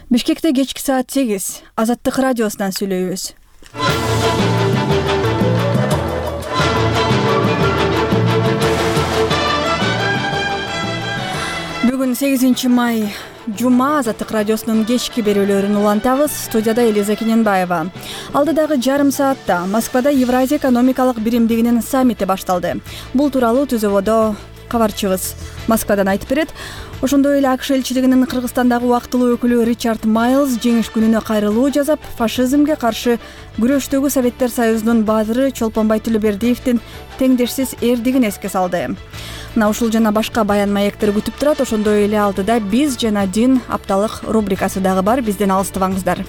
Бишкекте кечки саат 8 Азаттык радиосунан сүйлөйбүз. Бүгүн 8 май Жума Азаттык радиосунун кечки берүүлөрүн улантабыз. Студияда Элиза Кененбаева. Алдыдагы жарым саатта Москвада Евразия экономикалык биримдигинин саммити башталды. Бул тууралуу ТЗОдо кабарчыбыз Москвадан айтып берет. Ошондой эле АКШ элчилигинин Кыргызстандагы убактылуу өкүлү Ричард Майлз жеңиш күнүнө кайрылуу жасап, фашизмге каршы күрөштөгү Советтер Союзунун баадыры Чолпонбай Төлөбердиевдин теңдешсиз эрдигин эске салды. Мына ушул жана башка баян маектер күтүп турат. Ошондой эле алдыда биз жана дин апталык рубрикасы дагы бар. Бизден алыстабаңыздар.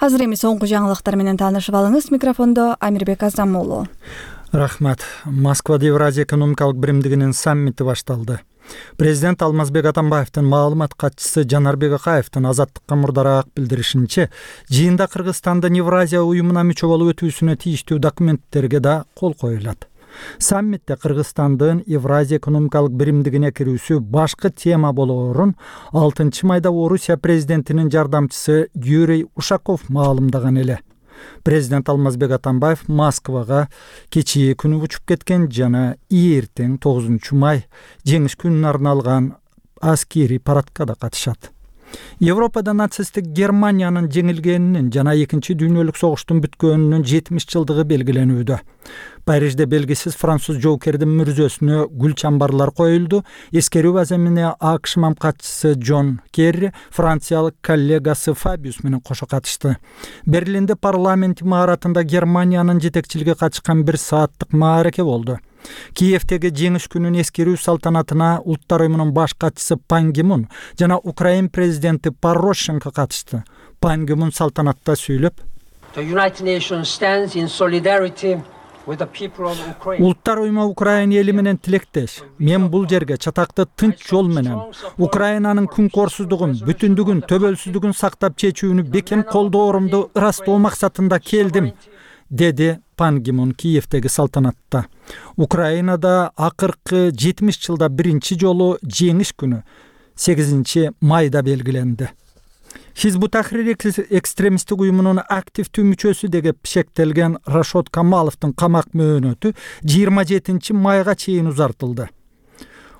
Азыр эми соңку жаңылыктар менен таанышып алыңыз. Микрофондо Амирбек Азамуулу. Рахмат. Москвада Евразия экономикалык биримдигинин саммити башталды. Президент Алмазбек Атамбаевдин маалымат катчысы Жанарбек Акаевдин Азаттыкка мурдараак билдиришинче, жыйында Кыргызстандын Евразия уюмуна мүчө болуп өтүүсүнө тийиштүү документтерге да кол коюлат. Саммитте Кыргызстандын Евразия экономикалык биримдигине кирүүсү башкы тема болоорун 6 майда Орусия президентинин жардамчысы Юрий Ушаков маалымдаган эле. Президент Алмазбек Атамбаев Москвага кечээ күнү учуп кеткен жана эртең 9 май жеңиш күнүнө арналган аскери парадка да катышат. Европада нацисттик Германиянын жеңилгенинин жана Экинчи дүйнөлүк согуштун бүткөнүнүн 70 жылдыгы белгиленүүдө. Парижде белгисиз француз жоокердин мүрзөсүнө гүл чамбарлар коюлду. Эскерүү базамине АКШ мамкатчысы Джон Керри, франциялык коллегасы Фабиус менен кошо катышты. Берлинде парламент имаратында Германиянын жетекчилиги катышкан 1 сааттык маареке болду. Киевдеги жеңиш күнүн эскерүү салтанатына Улуттар уюмунун баш катчысы Пан Ги Мун жана Украин президенти Порошенко катышты. Пан Ги Мун салтанатта сүйлөп, Улуттар уюму Украина эли менен тилектеш. Мен бул жерге чатакты тынч жол менен Украинанын күнкорсуздугун, бүтүндүгүн, төбөлсүздүгүн сактап чечүүнү бекем колдоорумду ырастоо максатында келдим, деди Пан Ги Мун Киевдеги салтанатта. Украинада акыркы 70 жылда биринчи жолу жеңиш күнү 8 майда белгиленди. Хизбут Тахрир экстремисттик уюмунун активдүү мүчөсү деп шектелген Рашод Камаловдун камак мөөнөтү 27 майга чейин узартылды.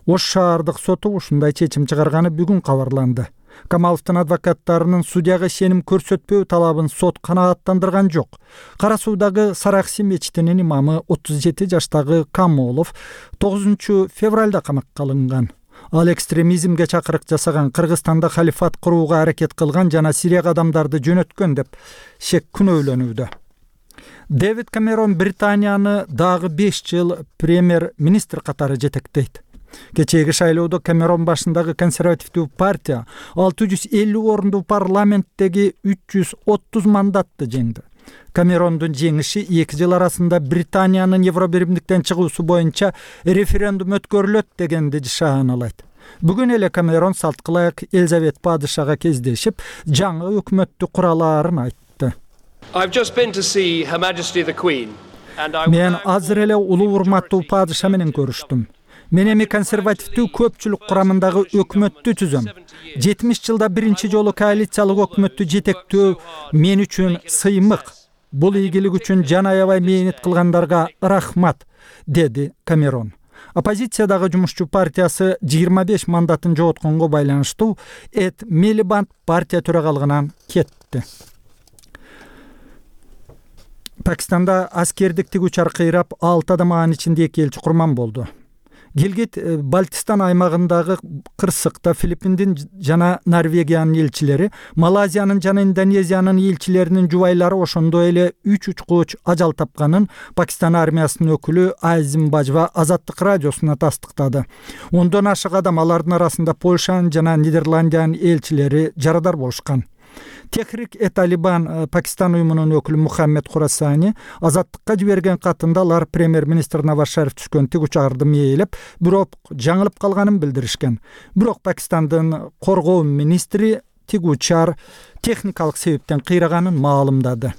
Ош шаардык соту ушундай чечим чыгарганы бүгүн кабарланды. Камаловдун адвокаттарынын судьяга ишеним көрсөтпөө талабын сот канааттандырган жок. Кара Суудагы Саракси мечитинин имамы 37 жаштагы Камолов 9 февралда камакка алынган. Ал экстремизмге чакырык жасаган, Кыргызстанда халифат курууга аракет кылган жана Сирияга адамдарды жөнөткөн деп шек күнөөлөнүүдө. Дэвид Камерон Британияны дагы 5 жыл премьер-министр катары жетектейт. Кечээги шайлоодо Камерон башындагы консервативдүү партия 650 орунду парламенттеги 330 мандатты жеңди. Камерондун жеңиши 2 жыл арасында Британиянын Евробиримдиктен чыгуусу боюнча референдум өткөрүлөт дегенди шааналайт. Бүгүн эле Камерон салткылайык Элизабет падышага кездешип, жаңы өкмөттү куралаарын айтты. Мен азыр эле улуу урматтуу падыша менен көрүштүм. Мен эми консервативдүү көпчүлүк курамындагы өкмөттү түзөм. 70 жылда биринчи жолу коалициялык өкмөттү жетектөө мен үчүн сыймык. Бул ийгилик үчүн жан аябай мээнет кылгандарга рахмат, деди Камерон. Оппозициядагы Жумушчу партиясы 25 мандатын жоготконго байланыштуу Эд Милибанд партия төрагалыгынан кетти. Пакистанда аскердик тигүүчү кыйрап 6 адам, анын ичинде 2 элчи курман болду. Гилгит Балтистан аймагындагы кырсыкта Филиппиндин жана Норвегиянын элчилери, Малайзиянын жана Индонезиянын элчилеринин жубайлары ошондой эле 3 учкуч ажал тапканын Пакистан армиясынын өкүлү Азим Бажва Азаттык радиосуна тастыктады. 10дон ашык адам, алардын арасында Польшанын жана Нидерландиянын элчилери жарадар болушкан. Техрик-э-Талибан Пакистан уюмунун өкүлү Мухаммед Хурасани Азаттыкка жиберген катында алар премьер-министр Наваз Шариф түшкөн тигүүчү мээлеп, бирок жаңылып калганын билдиришкен. Бирок Пакистандын коргоо министри тигүүчү техникалык себептен кыйраганын маалымдады.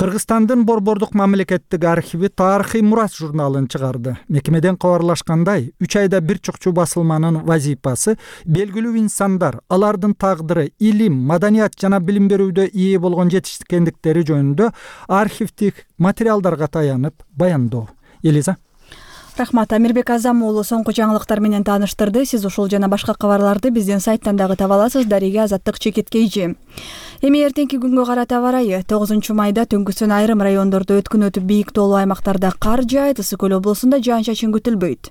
Кыргызстандын Борбордук мамлекеттик архиви тарыхый мурас журналын чыгарды. Мекемеден кабарлашкандай, 3 айда бир чукчу басылманын вазипасы белгилүү инсандар, алардын тагдыры, илим, маданият жана билим берүүдө ээ болгон жетишкендиктери жөнүндө архивдик материалдарга таянып баяндоо. Элиза. Рахмат. Амирбек Азам уулу соңку жаңылыктар менен тааныштырды. Сиз ушул жана башка кабарларды биздин сайттан дагы таба аласыз. Дарига Азаттык Чекеткейжи. Эми эртеңки күнгө карата абарайы 9 майда түнкүсүн айрым райондордо өткүн өтүп бийик тоолуу аймактарда кар жаайт, Ысык көл облусунда жаан-чачын күтүлбөйт.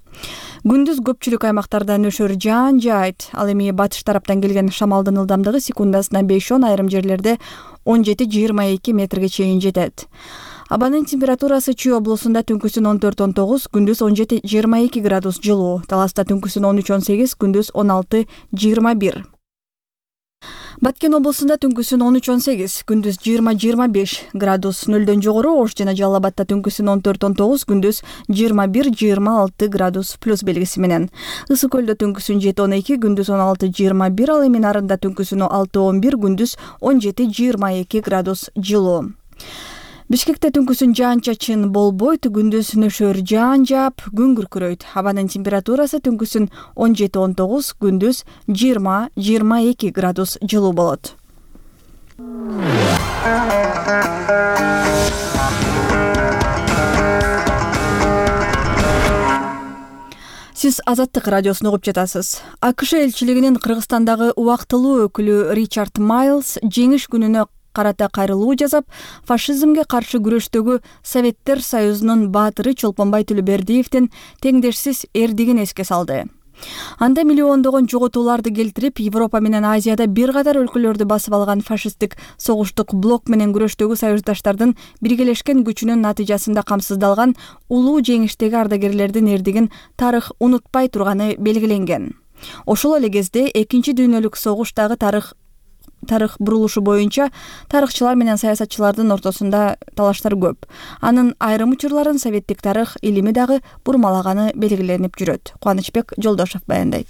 Күндүз көпчүлүк аймактарда нөшөр жаан жаайт. Ал эми батыш тараптан келген шамалдын ылдамдыгы секундасына 5-10, айрым жерлерде 17-22 метрге чейин жетет. Абанын температурасы Чүй облусунда түнкүсүн 14-19, күндүз 17-22 градус жылуу. Таласта түнкүсүн 13-18, күндүз 16-21. Баткен облусунда түнкүсүн 13-18, күндүз 20-25 градус нөлдөн жогору. Ош жана Жалал Абадта түнкүсүн 14-19, күндүз 21-26 градус плюс белгиси менен. Ысык көлдө түнкүсүн 7-12, күндүз 16-21, ал эми Нарында түнкүсүн 6-11, күндүз 17-22 градус жылуу. Бишкекте түнкүсүн жаан-чачын болбойт, күндүз нөшөр жаан жаап, күн күркүрөйт. Абанын температурасы түнкүсүн 17-19, күндүз 20-22 градус жылуу болот. Сиз Азаттык радиосун угуп жатасыз. АКШ элчилигинин Кыргызстандагы убактылуу өкүлү Ричард Майлз жеңиш күнүнө карата кайрылуу жасап, фашизмге каршы күрөштөгү Советтер Союзунун баатыры Чолпонбай Төлөбердиевдин теңдешсиз эрдигин эске салды. Анда миллиондогон жоготууларды келтирип, Европа менен Азияда бир катар өлкөлөрдү басып алган фашисттик согуштук блок менен күрөштөгү союздаштардын биргелешкен күчүнүн натыйжасында камсыздалган улуу жеңиштеги ардагерлердин эрдигин тарых унутпай турганы белгиленген. Ошол эле кезде Экинчи дүйнөлүк согуштагы тарых бурулушу боюнча тарыхчылар менен саясатчылардын ортосунда талаштар көп. Анын айрым учурларын советтик тарых илими дагы бурмалаганы белгиленип жүрөт. Кубанычбек Жолдошов баяндайт.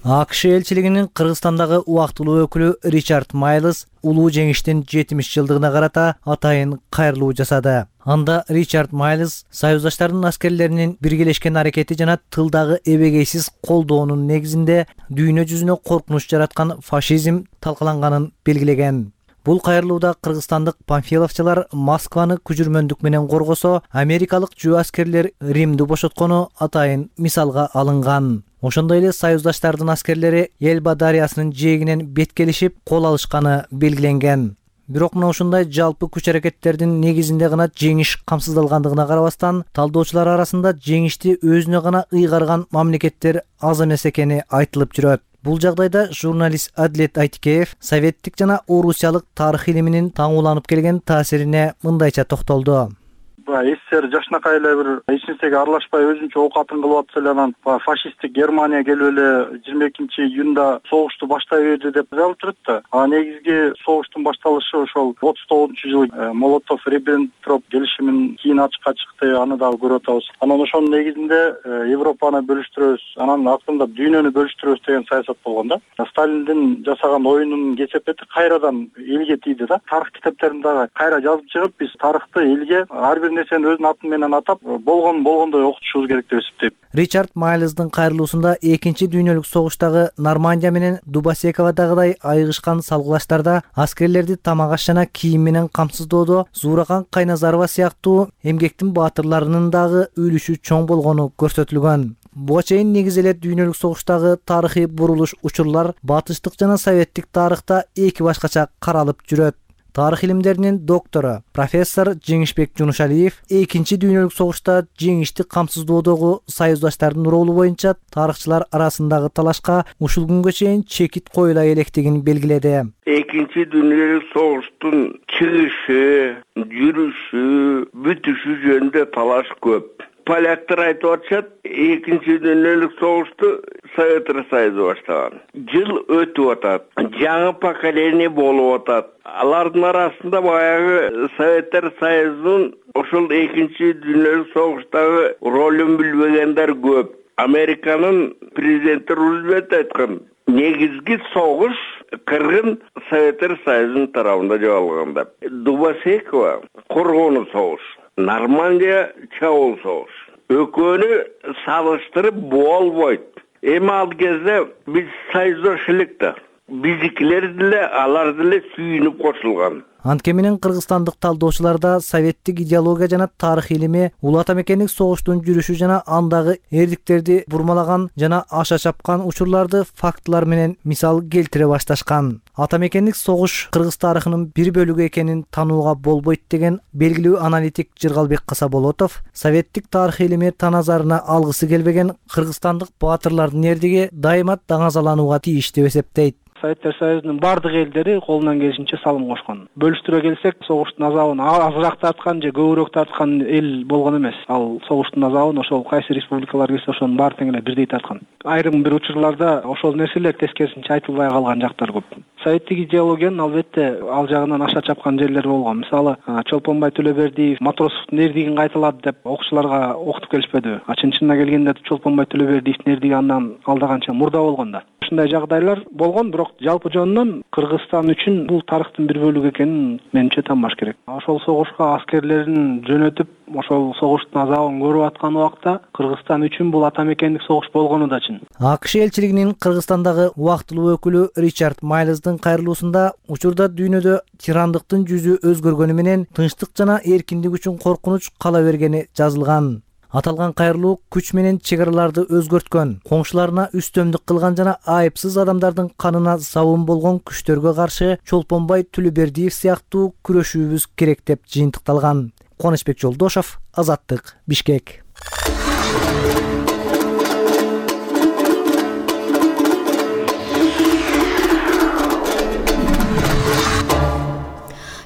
АКШ элчилигинин Кыргызстандагы убактылуу өкүлү Ричард Майлз улуу жеңиштин 70 жылдыгына карата атайын кайрылуу жасады. Анда Ричард Майлз союздаштардын аскерлеринин биргелешкен аракети жана тылдагы эбегейсиз колдоонун негизинде дүйнө жүзүнө коркунуч жараткан фашизм талкаланганын белгилеген. Бул кайрылууда кыргызстандык панфиловчулар Москваны күжүрмөндүк менен коргосо, америкалык жөө аскерлер Римди бошоткону атайын мисалга алынган. Ошондой эле союздаштардын аскерлери Элба дарыясынын жээгинен беткелишип кол алышканы белгиленген. Бирок мына ушундай жалпы күч аракеттердин негизинде гана жеңиш камсыздалгандыгына карабастан, талдоочулар арасында жеңишти өзүнө гана ыйгарган мамлекеттер аз эмес экени айтылып жүрөт. Бул жагдайда журналист Адлет Айтикеев советтик жана орусиялык тарых илиминин таңууланып келген таасирине мындайча токтолду. СССР жашынакай эле бир эч нерсеге аралашпай өзүнчө оокатын кылып атса эле, анан фашисттик Германия келип эле 22-июнда согушту баштай берди деп жазылып турат да. Негизги согуштун башталышы ошол 39-жылы Молотов-Риббентроп келишиминин кийин ачыкка чыкты, аны дагы көрүп атабыз. Анан ошонун негизинде Европаны бөлүштүрөбүз, анан актырында дүйнөнү бөлүштүрөбүз деген саясат болгон да. Сталиндин жасаган оюнунун кесепети кайрадан элге тийди да. Тарых китептеринде кайра жазып чыгып, биз тарыхты элге ар бир нерсени өзүнүн аты менен атап, болгондой окутушубуз керек деп эсептейм. Ричард Майлздын кайрылуусунда Экинчи дүйнөлүк согуштагы Нормандия менен Дубосековадагыдай айыгышкан салгылаштарда аскерлерди тамак аш жана кийим менен камсыздоодо Зууракан Кайназарова сыяктуу эмгектин баатырларынын дагы үлүшү чоң болгону көрсөтүлгөн. Буга чейин негизи эле дүйнөлүк согуштагы тарыхый бурулуш учурлар батыштык жана советтик тарыхта эки башкача каралып жүрөт. Тарых илимдеринин доктору, профессор Жеңишбек Жунушалиев Экинчи дүйнөлүк согушта жеңишти камсыздоодогу союздаштардын ролу боюнча тарыхчылар арасындагы талашка ушул күнгө чейин чекит коюла электигин белгиледи. Экинчи дүйнөлүк согуштун чыгышы, жүрүшү, бүтүшү жөнүндө талаш көп. Поляктар айтып атышат, Экинчи дүйнөлүк согушту Советтер Союзу баштаган. Жыл өтүп атат, жаңы поколение болуп атат. Алардын арасында баягы Советтер Союзунун ошол Экинчи дүйнөлүк согуштагы ролун билбегендер көп. Американын президенти Рузвельт айткан, негизги согуш Кыргын Советтер Союзунун тарабында жоголганда. Дубосекова коргонуу согуш, Нормандия чабуул согуш. Экөөнү салыштырып болбойт. Эми ал кезде биз союздош элек да. Биздикилер деле алар деле сүйүнүп кошулган. Антке менен кыргызстандык талдоочулар да советтик идеология жана тарых илими улуу ата мекендик согуштун жүрүшү жана андагы эрдиктерди бурмалаган жана аша чапкан учурларды фактылар менен мисал келтире башташкан. Ата мекендик согуш кыргыз тарыхынын бир бөлүгү экенин таанууга болбойт деген белгилүү аналитик Жыргалбек Касаболотов советтик тарых илими таназарына алгысы келбеген кыргызстандык баатырлардын эрдиги дайыма даңазаланууга тийиш деп эсептейт. Советтер Союзунун бардык элдери колунан келишинче салым кошкон. Бөлүштүрө келсек, согуштун азабын азыраак тарткан же көбүрөөк тарткан эл болгон эмес. Ал согуштун азабын ошол кайсы республикалар келсе ошонун баары тең эле бирдей тарткан. Айрым бир учурларда ошол нерселер тескерисинче айтылбай калган жактар көп. Советтик идеологиянын албетте ал жагынан аша чапкан жерлери болгон. Мисалы, Чолпонбай Төлөбердиев Матросовдун эрдигин кайталады деп окуучуларга окутуп келишпеди. Чын-чынына келгенде Чолпонбай Төлөбердиевдин эрдиги андан алдаганча мурда болгон да. Ушундай жагдайлар болгон, бирок жалпы жөнүнөн Кыргызстан үчүн бул тарыхтын бир бөлүгү экенин менимче тааныбаш керек. Ошол согушка аскерлерин жөнөтүп, ошол согуштун азабын көрүп аткан убакта Кыргызстан үчүн бул ата мекендик согуш болгону да чын. АКШ элчилигинин Кыргызстандагы убактылуу өкүлү Ричард Майлздын кайрылуусунда учурда дүйнөдө тирандыктын жүзү өзгөргөнү менен тынчтык жана эркиндик үчүн коркунуч кала бергени жазылган. Аталган кайрылуу күч менен чек араларды өзгөрткөн, коңшуларына үстөмдүк кылган жана айыпсыз адамдардын канына забын болгон күчтөргө каршы Чолпонбай Төлөбердиев сыяктуу күрөшүүбүз керек деп жыйынтыкталган. Кубанычбек Жолдошов, Азаттык, Бишкек.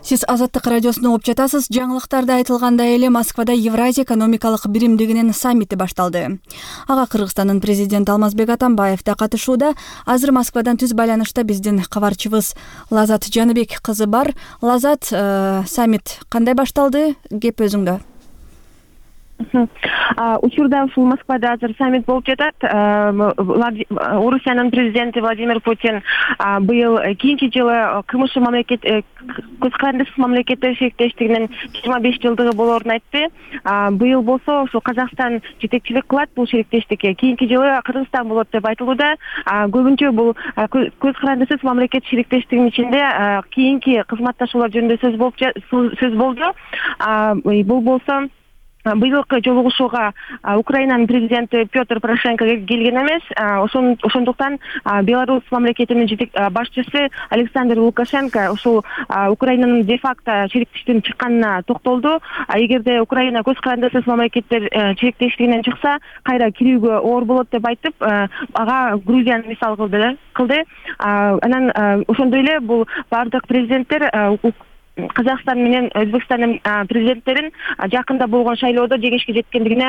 Сиз Азаттык радиосуна угуп жатасыз. Жаңылыктарда айтылгандай эле Москвада Евразия экономикалык биримдигинин саммити башталды. Ага Кыргызстандын президенти Алмазбек Атамбаев да катышууда. Азыр Москвадан түз байланышта биздин кабарчыбыз Лазат Жаныбек кызы бар. Лазат, саммит кандай башталды? Кеп өзүңдө. Учурда ушул Москвада азыр саммит болуп жатат. Орусиянын президенти Владимир Путин быйыл кийинки жылы КМШ мамлекет көз карандысыз мамлекеттер шериктештигинин 25 жылдыгы болоорун айтты. Быйыл болсо ушул Казакстан жетекчилик кылат бул шериктештикке. Кийинки жылы Кыргызстан болот деп айтылууда. Көбүнчө бул көз карандысыз мамлекет шериктештигинин ичинде кийинки кызматташуулар жөнүндө сөз болду. Бул болсо быйылкы жолугушууга Украинанын президенти Петр Порошенко келген эмес. Ошондуктан Беларусь мамлекетинин башчысы Александр Лукашенко ушул Украинанын де-факто шериктештигинен чыкканына токтолду. Эгерде Украина көз карандысыз мамлекеттер шериктештигинен чыкса, кайра кирүүгө оор болот деп айтып, ага Грузияны мисал кылды. Анан ошондой эле бул бардык президенттер Казакстан менен Өзбекстандын президенттерин жакында болгон шайлоодо жеңишке жеткендигине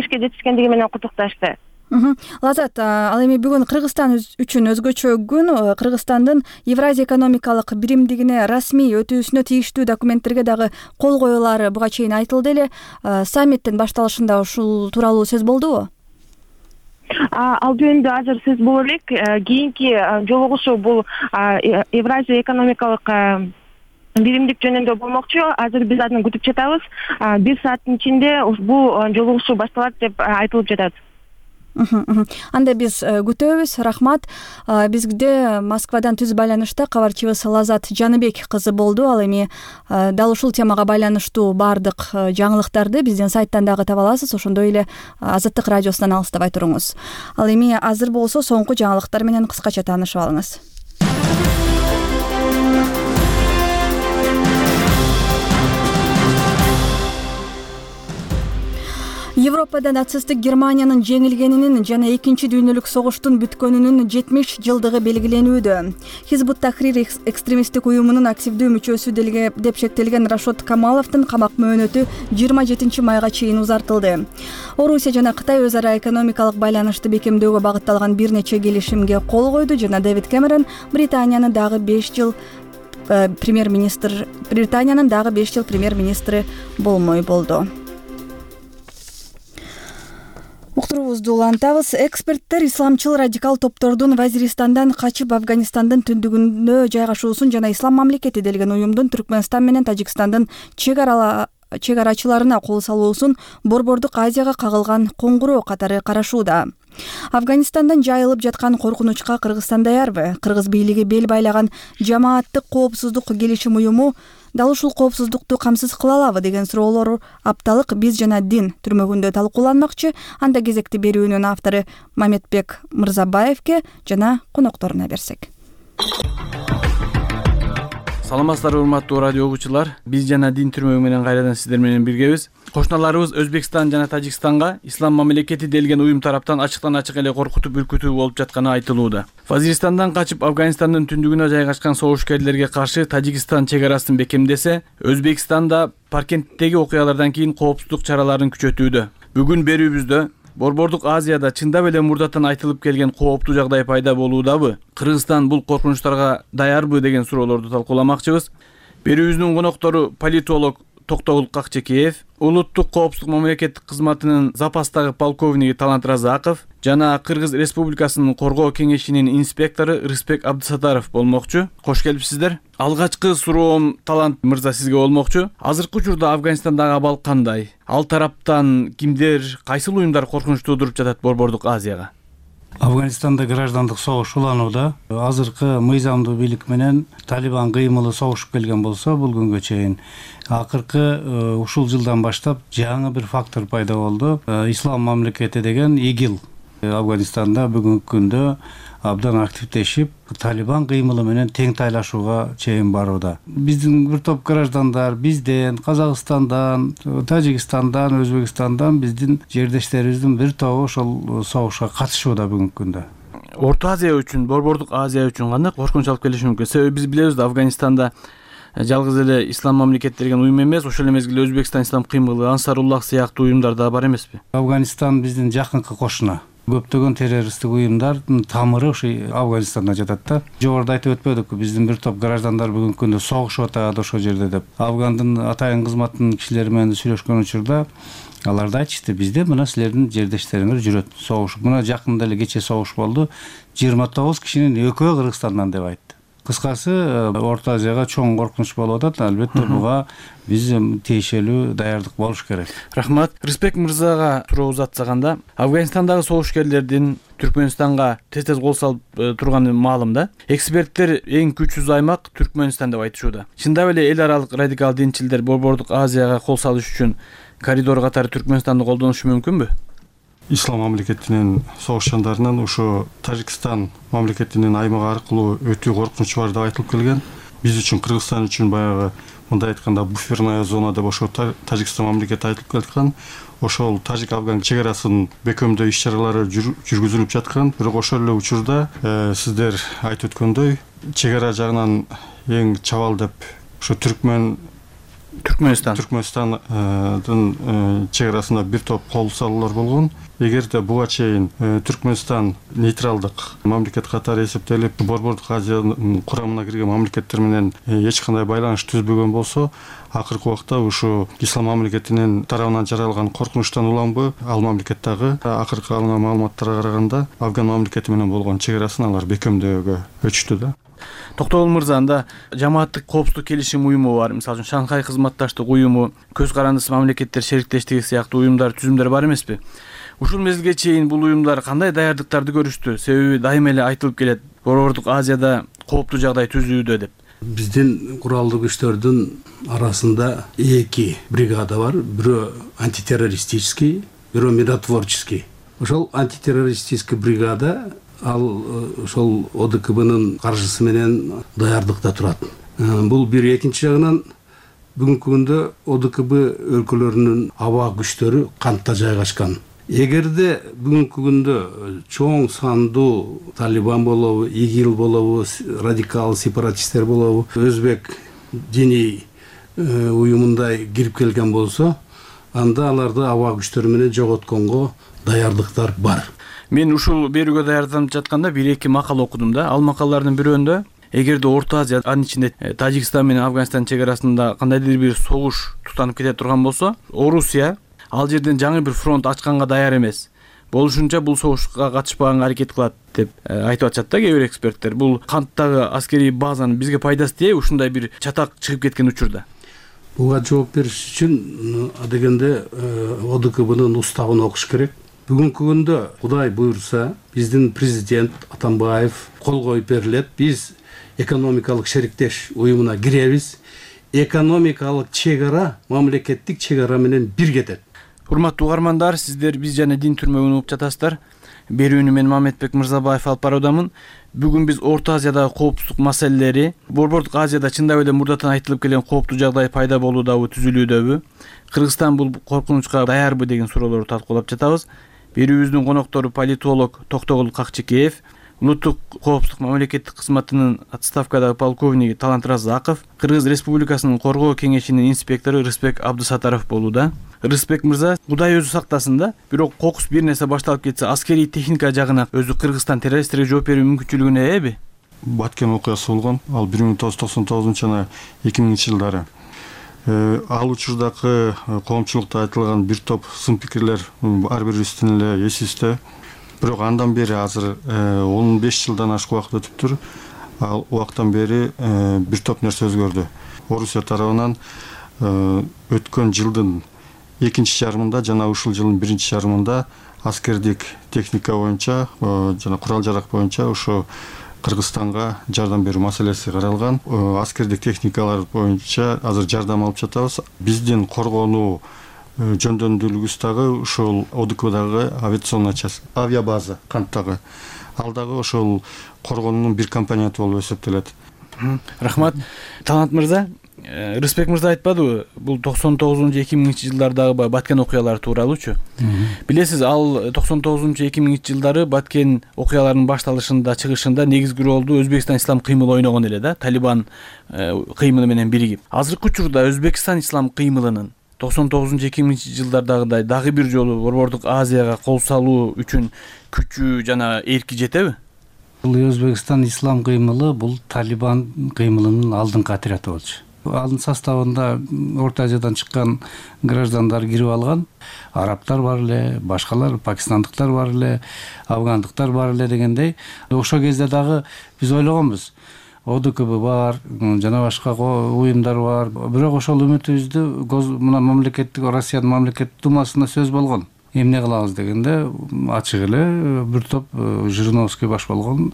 жетишкендиги менен куттукташты. Лазат, ал эми бүгүн Кыргызстан үчүн өзгөчө күн. Кыргызстандын Евразия экономикалык биримдигине расмий өтүүсүнө тийиштүү документтерге дагы кол коюлары буга чейин айтылды эле. Саммиттин башталышында ушул тууралуу сөз болдубу? Ал жөнүндө азыр сөз боло элек. Кийинки жолугушуу бул Евразия экономикалык биримдик жөнүндө болмокчу. Азыр биз аны күтүп жатабыз. 1 сааттын ичинде бул жолугушуу башталат деп айтылып жатат. Анда биз күтөбүз. Рахмат. Бизде Москвадан түз байланышта кабарчыбыз Лазат Жаныбек кызы болду. Ал эми дал ушул темага байланыштуу бардык жаңылыктарды биздин сайттан дагы таба аласыз. Ошондой эле Азаттык радиосунан алыстабай туруңуз. Ал эми азыр болсо соңку жаңылыктар менен кыскача таанышып алыңыз. Европада нацисттик Германиянын жеңилгенинин жана экинчи дүйнөлүк согуштун бүткөнүнүн 70 жылдыгы белгиленүүдө. Хизбут Тахрир экстремисттик уюмунун активдүү мүчөсү деп шектелген Рашод Камаловдун камак мөөнөтү 27 майга чейин узартылды. Орусия жана Кытай өз ара экономикалык байланышты бекемдөөгө багытталган бир нече келишимге кол койду жана Дэвид Кэмерон Британиянын дагы 5 жыл премьер-министри болмой болду. Уктуруубузду улантабыз. Эксперттер исламчыл радикал топтордун Вазиристандан качып Афганистандын түндүгүндө жайгашуусун жана Ислам мамлекети делген уюмдун Түркмөнстан менен Тажикстандын чегарачыларына кол салуусун Борбордук Азияга кагылган коңгуроо катары карашууда. Афганистандан жайылып жаткан коркунучка Кыргызстан даярбы? Кыргыз бийлиги бел байлаган жамааттык коопсуздук келишим уюму дал ушул коопсуздукту камсыз кыла алабы деген суроолор апталык Биз жана дин түрмөгүндө талкууланмакчы. Анда кезекти берүүнүн автору Маметбек Мырзабаевке жана конокторуна берсек. Саламатсыздарбы урматтуу радио угуучулар. Биз жана дин түрмөгү менен кайрадан сиздер менен биргебиз. Кошуналарыбыз Өзбекстан жана Тажикстанга Ислам мамлекети делген уюм тараптан ачыктан ачык эле коркутуп үркүтүү болуп жатканы айтылууда. Вазиристандан качып Афганистандын түндүгүнө жайгашкан согушкерлерге каршы Тажикстан чек арасын бекемдесе, Өзбекстанда Паркенттеги окуялардан кийин коопсуздук чараларын күчөтүүдө. Бүгүн берүүбүздө Борбордук Азияда чындап эле мурдатан айтылып келген кооптуу жагдай пайда болуудабы? Кыргызстан бул коркунучтарга даярбы деген суроолорду талкууламакчыбыз. Берүүбүздүн коноктору политолог Токтогул Какчекеев, Улуттук коопсуздук мамлекеттик кызматынын запастагы полковниги Талант Разаков жана Кыргыз Республикасынын коргоо кеңешинин инспектору Рыспек Абдысатаров болмокчу. Кош келипсиздер. Алгачкы суроом Талант мырза сизге болмокчу. Азыркы учурда Афганистандагы абал кандай? Ал тараптан кимдер, кайсыл уюмдар коркунуч туудуруп жатат Борбордук Азияга? Афганистанда граждандык согуш уланууда. Азыркы мыйзамдуу бийлик менен Талибан кыймылы согушуп келген болсо, бул күнгө чейин акыркы ушул жылдан баштап жаңы бир фактор пайда болду. Ислам мамлекети деген ИГИЛ Афганистанда бүгүнкү күндө абдан активдешип, Талибан кыймылы менен тең тайлашууга чейин барууда. Биздин бир топ граждандар бизден, Казакстандан, Тажикстандан, Өзбекстандан биздин жердештерибиздин бир тобу ошол согушка катышууда бүгүнкү күндө. Орто Азия үчүн, Борбордук Азия үчүн кандай коркунуч алып келиши мүмкүн? Себеби биз билебиз да, Афганистанда жалгыз эле Ислам мамлекети деген уюм эмес, ошол эле мезгилде Өзбекстан Ислам кыймылы, Ансаруллах сыяктуу уюмдар да бар эмеспи? Афганистан биздин жакынкы кошуна. Көптөгөн террористтик уюмдардын тамыры ошо Афганистанда жатат да. Жогоруда айтып өтпөдүкпү, биздин бир топ граждандар бүгүнкү күндө согушуп атат ошол жерде деп. Афгандын атайын кызматынын кишилери менен сүйлөшкөн учурда алар да айтышты, бизде мына силердин жердештериңер жүрөт согушуп. Мына жакында эле кече согуш болду. 29 кишинин экөө Кыргызстандан деп айтты. Кыскасы, Орто Азияга чоң коркунуч болуп атат. Албетте буга биз тиешелүү даярдык болуш керек. Рахмат. Рыспек мырзага суроо узатсаганда, Афганистандагы согушкерлердин Түркмөнстанга тез кол салып турганы маалым да. Эксперттер эң күчсүз аймак Түркмөнстан деп айтышууда. Чындап эле эл аралык радикал динчилдер Борбордук Азияга кол салыш үчүн коридор катары Түркмөнстанды колдонушу мүмкүнбү? Ислам мамлекетинин согушчандарынын ушу Тажикстан мамлекетинин аймагы аркылуу өтүү коркунучу бар деп айтылып келген. Биз үчүн, Кыргызстан үчүн баягы мындай айтканда буферная зона деп ошо Тажикстан мамлекети айтылып келаткан. Ошол Тажик-Афган чек арасынын бекемдөө иш-чаралары жүргүзүлүп жаткан. Бирок ошол эле учурда сиздер айтып өткөндөй, чек ара жагынан эң чабал деп ошо Түркмөнстандын чек арасында бир топ кол салуулар болгон. Эгерде буга чейин Түркмөнстан нейтралдык мамлекет катары эсептелип, Борбордук Азиянын курамына кирген мамлекеттер менен эч кандай байланыш түзбөгөн болсо, акыркы убакта ушу Ислам мамлекетинин тарабынан жаралган коркунучтан уланбы, ал мамлекеттагы акыркы алынган маалыматтарга караганда Афган мамлекети менен болгон чек арасын алар бекемдөөгө өчтү да. Токтогул мырза, анда жамааттык коопсуздук келишим уюму бар, мисалы үчүн Шанхай кызматташтык уюму, көз карандысы мамлекеттер шериктештиги сыяктуу уюмдар, түзүмдөр бар эмеспи? Ушул мезгилге чейин бул уюмдар кандай даярдыктарды көрүштү? Себеби дайыма эле айтылып келет, Борбордук Азияда кооптуу жагдай түзүүдө деп. Биздин куралдуу күчтөрдүн арасында 2 бригада бар. Бирөө антитеррористический, бирөө миротворческий. Ошол антитеррористический бригада ал ошол ОДКБнын каржысы менен даярдыкта турат. Бул бир. Экинчи жагынан бүгүнкү күндө ОДКБ өлкөлөрүнүн аба күчтөрү кантта жайгашкан. Эгерде бүгүнкү күндө чоң сандуу Талибан болобу, ИГИЛ болобу, радикал сепаратисттер болобу, өзбек диний уюмундай кирип келген болсо, анда аларды аба күчтөрү менен жоготконго даярдыктар бар. Мен ушул берүүгө даярданып жатканда 1-2 макала окудум да. Ал макалалардын бирөөндө эгерде Орто Азия, анын ичинде Тажикстан менен Афганистан чек арасында кандайдыр бир согуш тутанып кете турган болсо, Орусия ал жерден жаңы бир фронт ачканга даяр эмес. болушунча бул согушка катышпаганга аракет кылат деп айтып атышат да кээ бир эксперттер. Бул канттагы аскерий базанын бизге пайдасы тие ушундай бир чатак чыгып кеткен учурда? Буга жооп бериш үчүн адегенде ОДКБнын уставын окуш керек. Бүгүнкү күндө Кудай буйрса, биздин президент Атамбаев кол коюп берилет. Биз экономикалык шериктеш уюмуна киребиз. Экономикалык чек-ара мамлекеттик чек-ара менен бир кетет. Урматтуу угармандар, сиздер Биз жана Дин түрмөгүн угуп жатасыздар. Берүүнү мен Мамедбек Мырзабаев алып баруудамын. Бүгүн биз Орто Азиядагы коопсуздук маселелери, Борбордук Азияда чындап эле мурдатан айтылып келген кооптуу жагдай пайда болуудабы, түзүлүүдөбү, Кыргызстан бул коркунучка даярбы деген суроолорду талкуулап жатабыз. Берүүбүздүн коноктору политолог Токтогул Какчекеев, Улуттук коопсуздук мамлекеттик кызматынын отставкадагы полковниги Талант Разаков, Кыргыз Республикасынын Коргоо кеңешинин инспектору Рыспек Абдысатаров болууда. Рыспек мырза, Кудай өзү сактасын да, бирок кокус бир нерсе башталып кетсе, аскерий техника жагына өзү Кыргызстан террористтерге жооп берүү мүмкүнчүлүгүнө ээби? Баткен окуясы болгон, ал 1999 жана 2000 жылдары. Ал учурдагы коомчулукта айтылган бир топ сын пикирлер ар бирибиздин эле эсибизде. Бирок андан бери азыр 15 жылдан ашык убакыт өтүптүр. Ал убактан бери бир топ нерсе өзгөрдү. Орусия тарабынан өткөн жылдын экинчи жарымында жана ушул жылдын биринчи жарымында аскердик техника боюнча жана курал жарак боюнча ошо Кыргызстанга жардам берүү маселеси каралган. Аскердик техникалар боюнча азыр жардам алып жатабыз. Биздин коргонуу жөндөмдүүлүгүбүз дагы ошол ОДКБдагы авиационная часть, авиабаза канттагы. Ал дагы ошол коргоонун бир компоненти болуп эсептелет. Рахмат. Талант мырза, Рыспек мырза айтпадыбы, бул 99-2000 жылдардагы Баткен окуялары тууралуучу? Билесиз, ал 99-2000 жылдары Баткен окуяларынын башталышында, чыгышында негизги ролду Өзбекстан ислам кыймылы ойногон эле да, Талибан кыймылы менен биригип. Азыркы учурда Өзбекстан ислам кыймылынын 99-2000 жылдардагыдай дагы бир жолу Борбордук Азияга кол салуу үчүн күчү жана эрки жетеби? Бул Өзбекстан ислам кыймылы бул Талибан кыймылынын алдыңкы отряды болчу. Анын составында Орто Азиядан чыккан граждандар кирип алган. Арабтар бар эле, башкалар, пакистандыктар бар эле, афгандыктар бар эле дегендей. Ошол кезде дагы биз ойлогонбуз. ОДКБ бар, жана башка уюмдар бар. Бирок ошол үмүтүбүздү мына мамлекеттик Россиянын мамлекеттик думасында сөз болгон. Эмне кылабыз дегенде ачык эле бир топ Жириновский баш болгон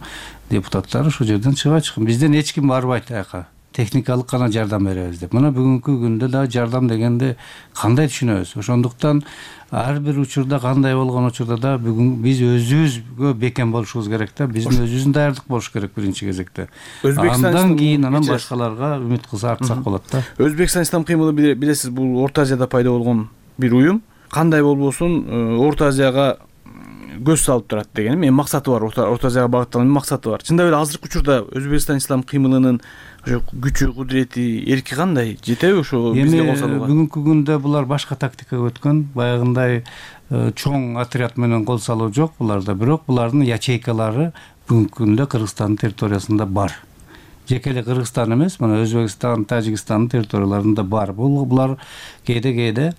депутаттар ошол жерден чыгып бизден эч ким барбайт аяка. Техникалык гана жардам беребиз деп. Мына бүгүнкү күндө да жардам дегенде кандай түшүнөбүз? Ошондуктан ар бир учурда кандай болгон учурда да бүгүн биз өзүбүзгө бекем болушубуз керек да. Биздин өзүбүздүн даярдык болуш керек биринчи кезекте. Андан кийин анан башкаларга үмүт кылса артсак болот да. Өзбекстан ислам кыймылы билесиз, бул Орто Азияда пайда болгон бир уюм. Кандай болбосун Орто Азияга көз салып турат деген мен максаты бар, Орто Азияга багытталган максаты бар. Чындап эле азыркы учурда Өзбекстан ислам кыймылынын ошо күчү, кудурети, эрки кандай жетеби ошо бизге кол салууга? Бүгүнкү күндө булар башка тактикага өткөн, баягындай чоң отряд менен кол салуу жок буларда, бирок булардын ячейкалары бүгүнкү күндө Кыргызстандын территориясында бар. Жеке эле Кыргызстан эмес, мына Өзбекстан, Тажикстандын территорияларында бар. Булар кээде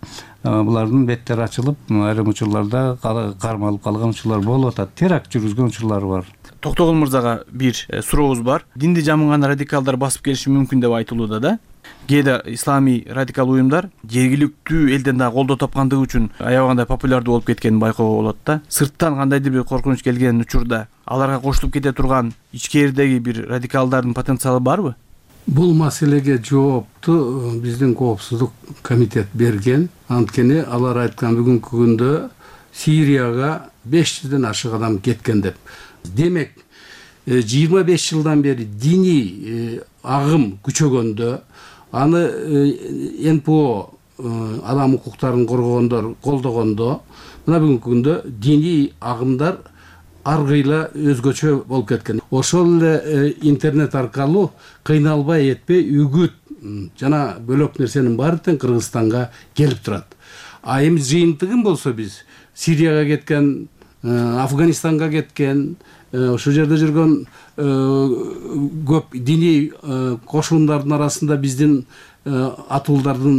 булардын беттери ачылып, айрым учурларда кармалып калган учурлар болуп атат. Теракт жүргүзгөн учурлар бар. Токтогул мырзага бир сурообуз бар. Динди жамыган радикалдар басып келиши мүмкүн деп айтылууда да. Кээде исламий радикал уюмдар жергиликтүү элден дагы колдоо тапкандыгы үчүн аябагандай популярдуу болуп кеткенин байкоого болот да. Сырттан кандайдыр бир коркунуч келген учурда аларга кошулуп кете турган ичкеридеги бир радикалдардын потенциалы барбы? Бул маселеге жоопту биздин коопсуздук комитет берген. Анткени алар айткан бүгүнкү күндө Сирияга 500ден ашык адам кеткен деп. Демек 25 жылдан бери диний агым күчөгөндө, аны НПО адам укуктарын коргогондор колдогондо, мына бүгүнкү күндө диний агымдар ар кыйла өзгөчө болуп кеткен. Ошол эле интернет аркылуу кыйналбай этпей үгүт жана бөлөк нерсенин баары тең Кыргызстанга келип турат. А эми жыйынтыгын болсо биз Сирияга кеткен, Афганистанга кеткен, ошол жерде жүргөн көп диний кошундардын арасында биздин атуулдардын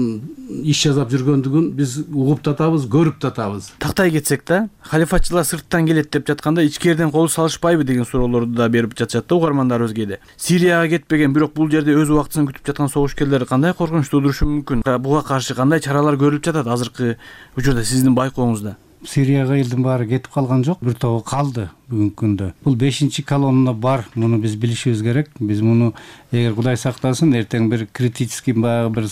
иш жасап жүргөндүгүн биз угуп да атабыз, көрүп да атабыз. Тактай кетсек да, халифатчылар сырттан келет деп жатканда ичкериден кол салышпайбы деген суроолорду да берип жатышат да угармандарыбыз кээде. Сирияга кетпеген, бирок бул жерде өз убактысын күтүп жаткан согушкерлер кандай коркунуч туудурушу мүмкүн? Буга каршы кандай чаралар көрүлүп жатат азыркы учурда сиздин байкооңузда? Сирияга элдин баары кетип калган жок, бир тобу калды бүгүнкү күндө. Бул 5-чи колонна бар, муну биз билишибиз керек. Биз муну эгер Кудай сактасын, эртең бир критический баягы бир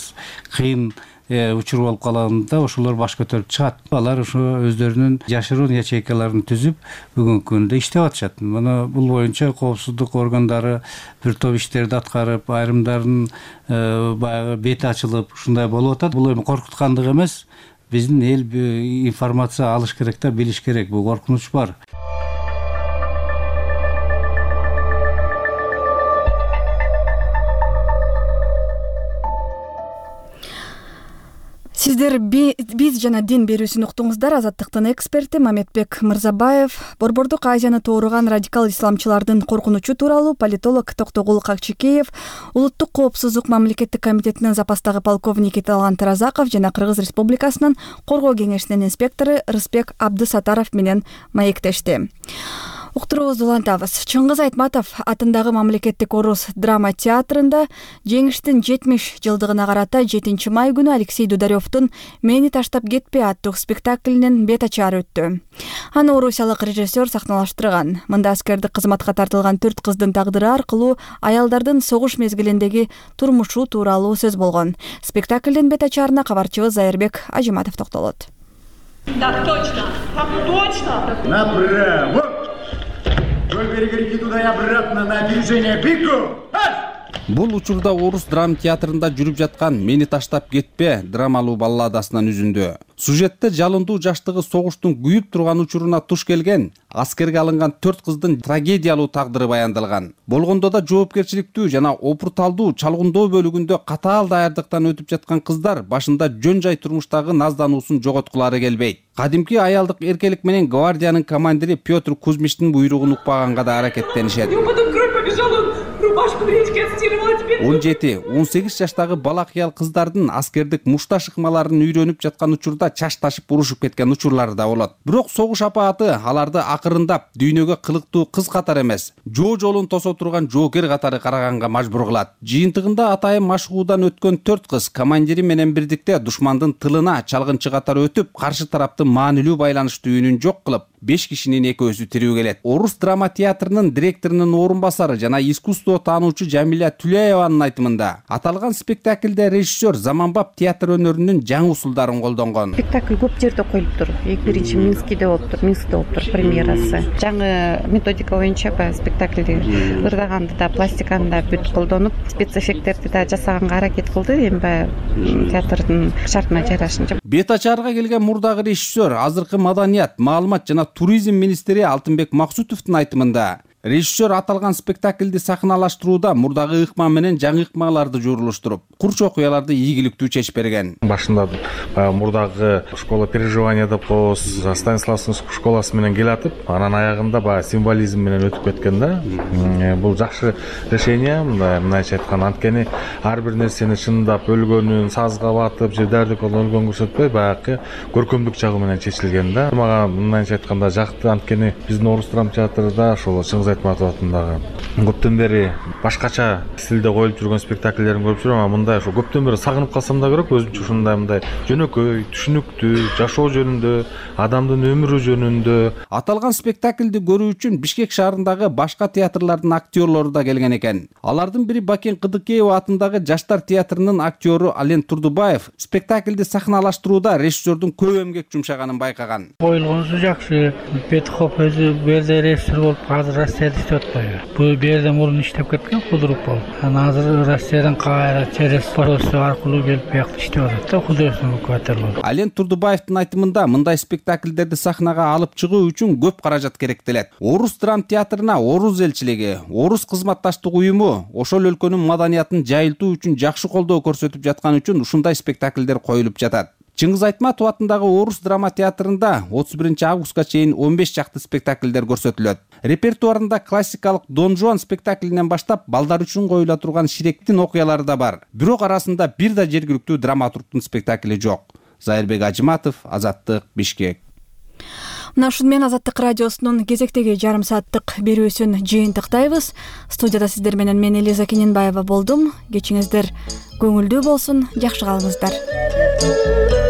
кыйын учур болуп калганда ошолор баш көтөрүп чыгат. Алар ошо өздөрүнүн жашыруун ячейкаларын түзүп бүгүнкү күндө иштеп атышат. Муну бул боюнча коопсуздук органдары бир топ иштерди аткарып, айрымдарын баягы бети ачылып, ушундай болуп атат. Бул эми коркуткандык эмес. Биздин эл информация алыш керек да, билиш керек. Бул коркунуч бар. Сиздер биз жана дин берүүсүн уктуңуздар. Азаттыктын эксперти Мамедбек Мырзабаев Борбордук Азияны тууруган радикал исламчылардын коркунучу тууралуу политолог Токтогул Какчикеев, Улуттук коопсуздук мамлекеттик комитетинин запастагы полковники Талант Разаков жана Кыргыз Республикасынын Коргоо кеңешинин инспектору Рысбек Абдысатаров менен маектешти. Уктуруубузду улантабыз. Чыңгыз Айтматов атындагы мамлекеттик орус драма театрында жеңиштин 70 жылдыгына карата 7 май күнү Алексей Дударевдун «Мени таштап кетпе» аттуу спектаклинин бет ачары өттү. Аны орусиялык режиссер сахналаштырган. Мында аскердик кызматка тартылган 4 кыздын тагдыры аркылуу аялдардын согуш мезгилиндеги турмушу тууралуу сөз болгон. Спектаклдин бет ачарына кабарчыбыз Зайырбек Ажиматов токтолот. Так точно, так точно. Направо. Вдоль берега реки туда и обратно на опережение. Бегу! Бул учурда орус драма театрында жүрүп жаткан «Мени таштап кетпе» драмалуу балладасынан үзүндү. Сюжетте жалындуу жаштыгы согуштун күйүп турган учуруна туш келген, аскерге алынган 4 кыздын трагедиялуу тагдыры баяндалган. Болгондо да жоопкерчиликтүү жана опурталдуу чалгындоо бөлүгүндө катаал даярдыктан өтүп жаткан кыздар башында жөн жай турмуштагы наздануусун жоготкулары келбейт. Кадимки аялдык эркелик менен гвардиянын командири Петр Кузьмичтин буйругун укпаганга да аракеттенишет. 17-18 жаштагы бала кыял кыздардын аскердик мушташ ыкмаларын үйрөнүп жаткан учурда чаш ташып урушуп кеткен учурлары да болот. Бирок согуш апааты аларды акырындап дүйнөгө кылыктуу кыз катары эмес, жоо жолун тосо турган жоокер катары караганга мажбур кылат. Жыйынтыгында атайын машыгуудан өткөн 4 кыз командири менен бирдикте душмандын тылына чалгынчы катары өтүп, каршы тараптын маанилүү байланыш түйүнүн жок кылып, 5 кишинин экөөсү тирүү келет. Орус драма театрынын директорунун орун басары жана искусство таануучу Жамиля Түлееванын айтымында, аталган спектаклде режиссер заманбап театр өнөрүнүн жаңы усулдарын колдонгон. Спектакль көп жерде коюлуптур. Биринчи Минскиде болуптур премьерасы. Жаңы методика боюнча спектаклди ырдаганды да, пластиканы да бүт колдонуп, спецэффекттерди да жасаганга аракет кылды. Эми театрдын шартына жарашынча. Бет ачарга келген мурдагы режиссер, азыркы маданият, маалымат жана туризм министри Алтынбек Максутовдун айтымында, режиссер аталган спектаклди сахналаштырууда мурдагы ыкма менен жаңы ыкмаларды журулуштуруп, курч окуяларды ийгиликтүү чечип берген. Башында мурдагы школа переживания деп коебуз, Станиславский школасы менен келатып, анан аягында символизм менен өтүп кеткен да. Бул жакшы решение, мындайча айтканда, анткени ар бир нерсени чындап өлгөнүн, сазга батып, же дәрди колдон өлгөн көрсөтпөй, баягы көркөмдүк жагы менен чечилген да. Мага мындайча айтканда жакты, анткени биздин орус драма театрында ошол Чыңгыз Айтматов атындагы көптөн бери башкача стилде коюлуп жүргөн спектакльдерин көрүп жүрөм, а мындай ошо көптөн бери сагынып калсам да керек, өзүмчө ушундай мындай жөнөкөй, түшүнүктүү, жашоо жөнүндө, адамдын өмүрү жөнүндө. Аталган спектакльди көрүү үчүн Бишкек шаарындагы башка театрлардын актерлору да келген экен. Алардын бири Бакен Кыдыкеева атындагы Жаштар театрынын актеру Ален Турдубаев спектакльди сахналаштырууда режиссердун көп эмгек жумшаганын байкаган. Коюлгонусу жакшы. Петхов өзү бул жерде режиссер болуп, азыр Россияда иштеп атпайбы? Бул жерде мурун иштеп кеткен худрук болуп. Анан азыр Россиядан кайра через посольство аркылуу келип бияқта иштеп атат да, художественный руководитель болуп. Ален Турдубаевдин айтымында, мындай спектакльдерди сахнага алып чыгуу үчүн көп каражат керектелет. Орус драма театрына орус элчилиги, орус кызматташтык уюму ошол өлкөнүн маданиятын жайылтуу үчүн жакшы колдоо көрсөтүп жаткан үчүн ушундай спектакльдер коюлуп жатат. Чыңгыз Айтматов атындагы Орус драма театрында 31 августка чейин 15 чакты спектакльдер көрсөтүлөт. Репертуарында классикалык Дон Жуан спектаклинен баштап балдар үчүн коюла турган Ширектин окуялары да бар. Бирок арасында бир да жергиликтүү драматургдун спектакли жок. Зайырбек Ажыматов, Азаттык, Бишкек. Мына ушуну менен Азаттык радиосунун кезектеги жарым сааттык берүүсүн жыйынтыктайбыз. Студияда сиздер менен мен Элиза Кененбаева болдум. Кечиңиздер көңүлдүү болсун, жакшы калыңыздар.